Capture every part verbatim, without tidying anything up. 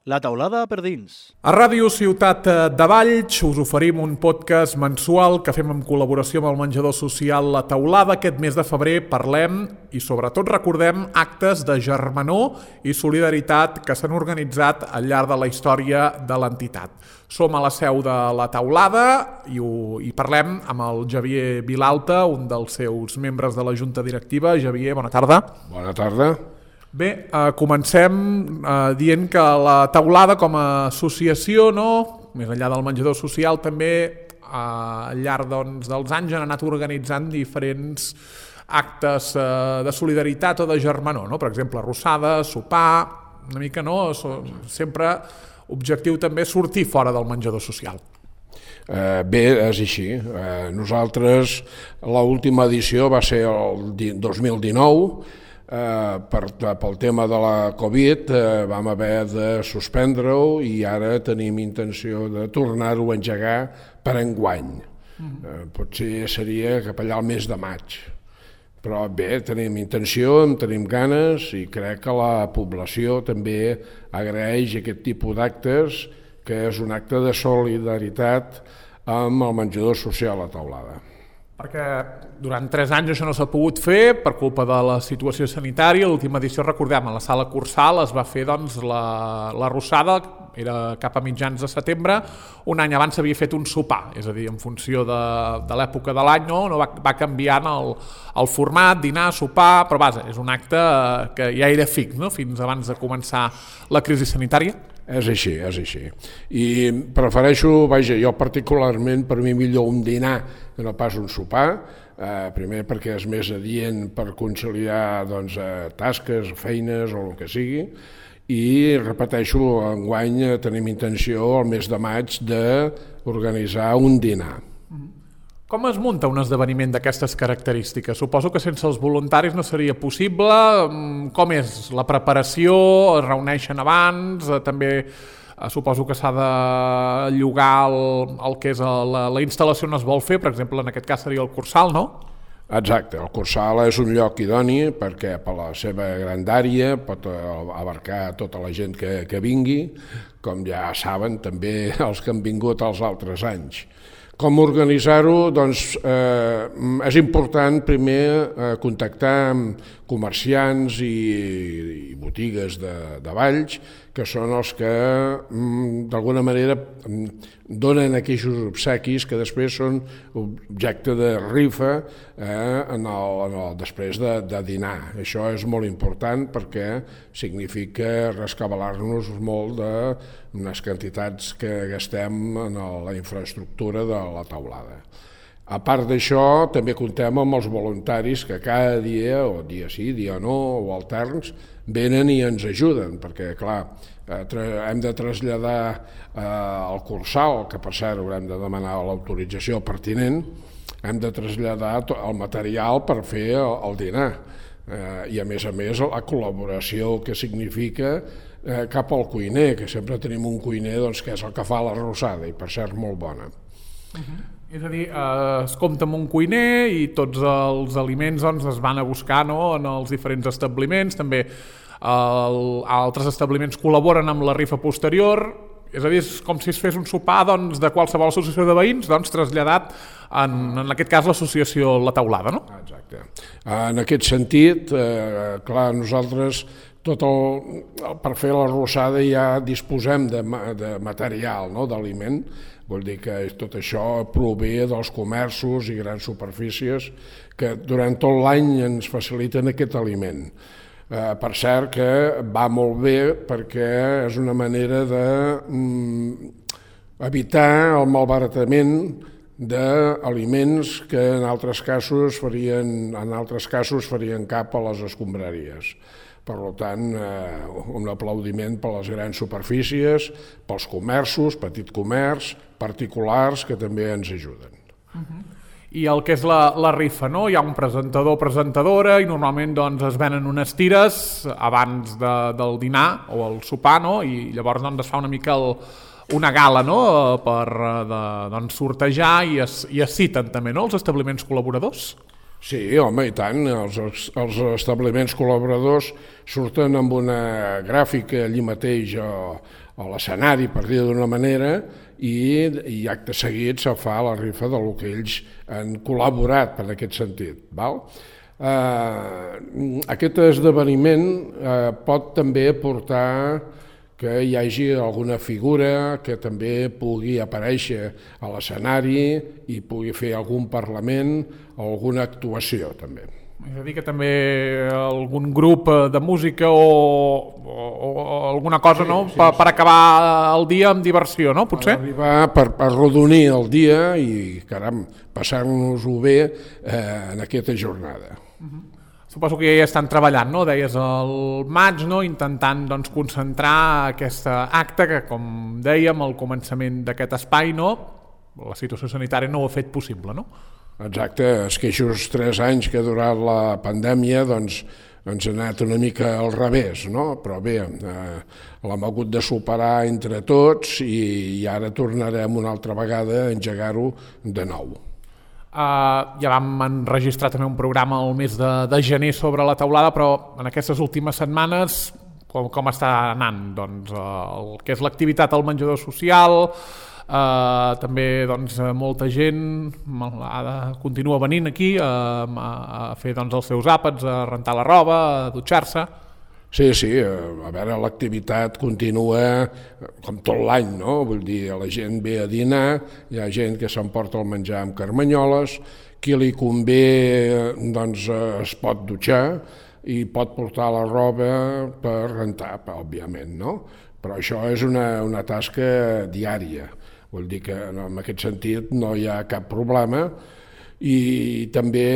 La taulada per dins. A Ràdio Ciutat de Valls us oferim un podcast mensual que fem en col·laboració amb el menjador social La Taulada. Aquest mes de febrer parlem i sobretot recordem actes de germanor i solidaritat que s'han organitzat al llarg de la història de l'entitat. Som a la seu de La Taulada i, ho, i parlem amb el Javier Vilalta, un dels seus membres de la Junta Directiva. Javier, bona tarda. Bona tarda. Bé, eh, comencem eh, dient que la Taulada com a associació, no? Més enllà del menjador social, també eh, al llarg doncs, dels anys han anat organitzant diferents actes eh, de solidaritat o de germanor, no? Per exemple, arrossada, sopar, una mica, no? Sempre objectiu també sortir fora del menjador social. Eh, bé, és així. Eh, nosaltres, l'última edició va ser el dos mil dinou, Eh, per, pel tema de la Covid eh, vam haver de suspendre-ho i ara tenim intenció de tornar-ho a engegar per enguany. Eh, potser seria cap allà al mes de maig. Però bé, tenim intenció, en tenim ganes i crec que la població també agraeix aquest tipus d'actes, que és un acte de solidaritat amb el menjador social a Taulada. Perquè durant tres anys això no s'ha pogut fer per culpa de la situació sanitària. L'última edició, recordem, a la sala Cursal es va fer doncs, la, la arrossada, era cap a mitjans de setembre. Un any abans s'havia fet un sopar, és a dir, en funció de, de l'època de l'any, no? No va, va canviant el, el format, dinar, sopar, però vaja, és un acte que ja era fix, no? Fins abans de començar la crisi sanitària. És així, és així. I prefereixo, vaja, jo particularment, per mi millor un dinar que no pas un sopar, eh, primer perquè és més adient per conciliar doncs, eh, tasques, feines o el que sigui, i repeteixo, enguany tenim intenció el mes de maig d'organitzar un dinar. Com es munta un esdeveniment d'aquestes característiques? Suposo que sense els voluntaris no seria possible. Com és la preparació? Es reuneixen abans? També suposo que s'ha de llogar el, el que és la, la instal·lació on es vol fer. Per exemple, en aquest cas seria el Cursal, no? Exacte, el Cursal és un lloc idoni perquè per la seva grandària pot abarcar tota la gent que, que vingui, com ja saben també els que han vingut els altres anys. Com organitzar-ho? Doncs eh, és important primer eh, contactar amb comerciants i, i botigues de, de Valls, que són els que mm, d'alguna manera donen aquells obsequis que després són objecte de rifa eh, en el, en el, després de, de dinar. Això és molt important perquè significa rescabalar-nos molt de unes quantitats que gastem en la infraestructura de la taulada. A part d'això, també comptem amb els voluntaris que cada dia, o dia sí, dia no, o alterns, venen i ens ajuden, perquè, clar, hem de traslladar eh, el Cursal, que per cert haurem de demanar l'autorització pertinent, hem de traslladar el material per fer el, el dinar. Eh, I a més a més la col·laboració que significa eh, cap al cuiner, que sempre tenim un cuiner doncs, que és el que fa l'arrossada, i per cert molt bona. Uh-huh. És a dir, eh, es compta amb un cuiner i tots els aliments doncs, es van a buscar, no?, en els diferents establiments. També el, altres establiments col·laboren amb la rifa posterior. És a dir, és com si es fes un sopar doncs, de qualsevol associació de veïns doncs, traslladat en, en aquest cas l'associació La Taulada, no? Exacte. En aquest sentit, eh, clar, nosaltres tot el, per fer l'arrossada ja disposem de, de material, no?, d'aliment. Vol dir que tot això prové dels comerços i grans superfícies que durant tot l'any ens faciliten aquest aliment. Eh, per cert que va molt bé perquè és una manera d'evitar el malbaratament d'aliments que en altres casos farien, en altres casos farien cap a les escombraries. Per tant, eh, un aplaudiment per les grans superfícies, pels comerços, petit comerç, particulars, que també ens ajuden. Uh-huh. I el que és la, la rifa, no? Hi ha un presentador o presentadora i normalment doncs, es venen unes tires abans de, del dinar o el sopar, no? I llavors doncs, es fa una mica el, una gala, no?, per de, doncs, sortejar i es, i es citen també, no?, els establiments col·laboradors. Sí, home, i tant. Els, els establiments col·laboradors surten amb una gràfica allí mateix a, a l'escenari, per dir d'una manera, i, i acte seguit se fa la rifa del que ells han col·laborat per aquest sentit. Val? Eh, aquest esdeveniment eh, pot també portar que hi hagi alguna figura que també pugui aparèixer a l'escenari i pugui fer algun parlament o alguna actuació també. És a dir, que també algun grup de música o, o, o alguna cosa, sí, no? Sí, per, sí. per acabar el dia amb diversió, no? Potser? Per arribar, per, per arrodonir el dia i, caram, passar-nos-ho bé eh, en aquesta jornada. Uh-huh. Suposo que ja hi estan treballant, no? Deies el maig, no? Intentant doncs, concentrar aquest acte que, com dèiem, al començament d'aquest espai, no? La situació sanitària no ho ha fet possible, no? Exacte, és que aquests tres anys que ha durat la pandèmia doncs, ens ha anat una mica al revés, no? Però bé, eh, l'hem hagut de superar entre tots i, i ara tornarem una altra vegada a engegar-ho de nou. Uh, ja vam enregistrar també un programa el mes de, de gener sobre la teulada, però en aquestes últimes setmanes com, com està anant? Doncs, uh, el que és l'activitat al menjador social, uh, també doncs, molta gent uh, continua venint aquí uh, a, a fer doncs, els seus àpats, a rentar la roba, a dutxar-se. Sí, sí, a veure, l'activitat continua com tot l'any, no? Vull dir, la gent ve a dinar, hi ha gent que s'emporta el menjar amb carmanyoles, qui li convé doncs es pot dutxar i pot portar la roba per rentar, òbviament, no? Però això és una, una tasca diària, vull dir que en aquest sentit no hi ha cap problema. I també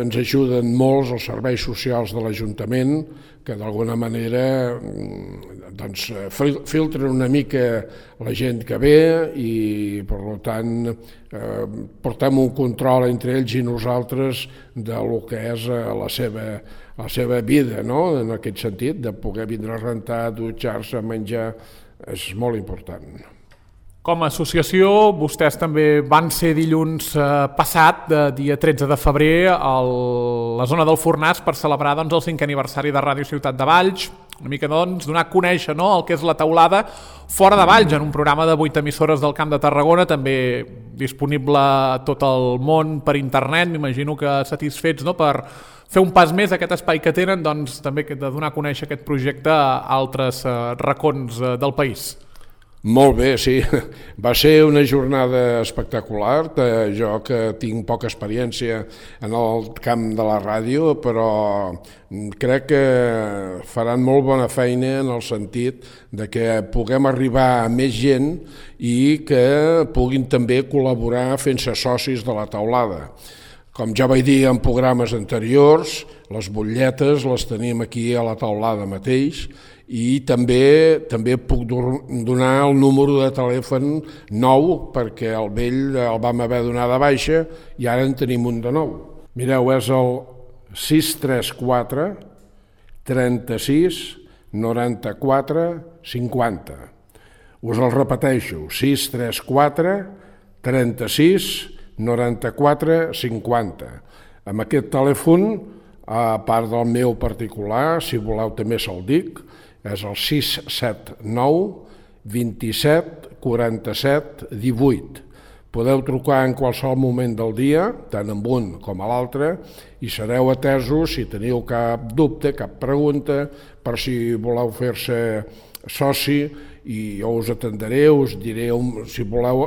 ens ajuden molts els serveis socials de l'Ajuntament que d'alguna manera doncs, filtren una mica la gent que ve i per tant eh, portem un control entre ells i nosaltres de lo que és la seva, la seva vida, no? En aquest sentit, de poder vindre a rentar, dutxar-se, menjar, és molt important. Com a associació, vostès també van ser dilluns eh, passat, de dia tretze de febrer, a la zona del Fornàs per celebrar doncs, el cinquè aniversari de Ràdio Ciutat de Valls, una mica doncs, donar a conèixer no, el que és la teulada fora de Valls, en un programa de vuit emissores del Camp de Tarragona, també disponible a tot el món per internet, m'imagino que satisfets no, per fer un pas més a aquest espai que tenen, doncs també de donar a conèixer aquest projecte a altres eh, racons eh, del país. Molt bé, sí. Va ser una jornada espectacular. Jo que tinc poca experiència en el camp de la ràdio, però crec que faran molt bona feina en el sentit de que puguem arribar a més gent i que puguin també col·laborar fent-se socis de la teulada. Com ja vaig dir en programes anteriors, les butlletes les tenim aquí a la teulada mateix i també també puc donar el número de telèfon nou perquè el vell el vam haver donat de baixa i ara en tenim un de nou. Mireu, és el sis tres quatre trenta-sis noranta-quatre cinquanta. Us el repeteixo, sis tres quatre trenta-sis noranta-quatre cinquanta. Amb aquest telèfon, a part del meu particular, si voleu també se'l dic, és el sis set nou vint-i-set quaranta-set divuit. Podeu trucar en qualsevol moment del dia, tant en un com a l'altre, i sereu atesos si teniu cap dubte, cap pregunta, per si voleu fer-se soci, i jo us atendré, us diré si voleu,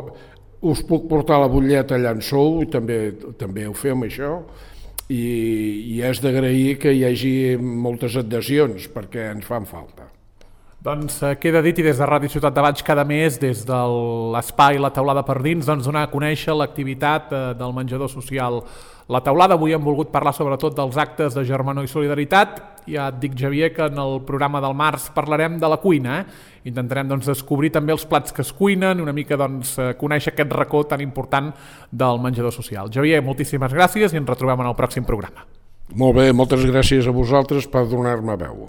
us puc portar la butlleta allà en sou, i també, també ho fem això, i, i és d'agrair que hi hagi moltes adhesions perquè ens fan falta. Doncs queda dit, i des de Ràdio Ciutat de Valls cada mes, des de l'espai La Teulada per dins, doncs donar a conèixer l'activitat del menjador social La Teulada. Avui hem volgut parlar sobretot dels actes de germanor i solidaritat. Ja et dic, Xavier, que en el programa del març parlarem de la cuina. Eh? Intentarem doncs, descobrir també els plats que es cuinen, una mica doncs, conèixer aquest racó tan important del menjador social. Xavier, moltíssimes gràcies i ens retrobem en el pròxim programa. Molt bé, moltes gràcies a vosaltres per donar-me veu.